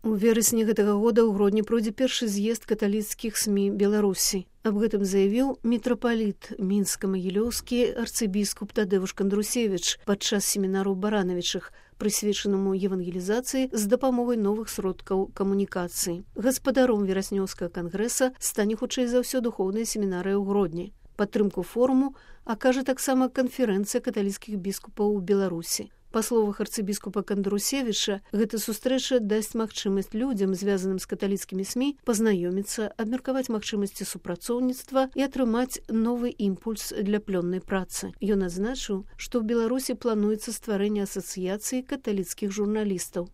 У верасні гэтага года ў Гродні пройдзе першы з'езд каталіцкіх СМІ Беларусі. Аб гэтым заявіў мітрапаліт мінска-магілёўскі арцыбіскуп Тадэвуш Кандрусевіч падчас семінару Баранавічых, прысвечанаму евангелізацыі з дапамогай новых сродкаў камунікацыі. Гаспадаром вераснёўскага кангрэса стане хутчэй за ўсё духоўная семінарыя ў Гродні. Падтрымку форуму акажа таксама канферэнцыя каталіцкіх біскупаў у Беларусі. Па словах арцыбіскупа Кандрусевіча, гэта сустрэча дасць магчымасць людзям, звязаным з каталіцкімі СМІ, пазнаёміцца, абмеркаваць магчымасці супрацоўніцтва і атрымаць новы імпульс для плённай працы. Ён адзначыў, што ў Беларусі плануецца стварэнне асацыяцыі каталіцкіх журналістаў.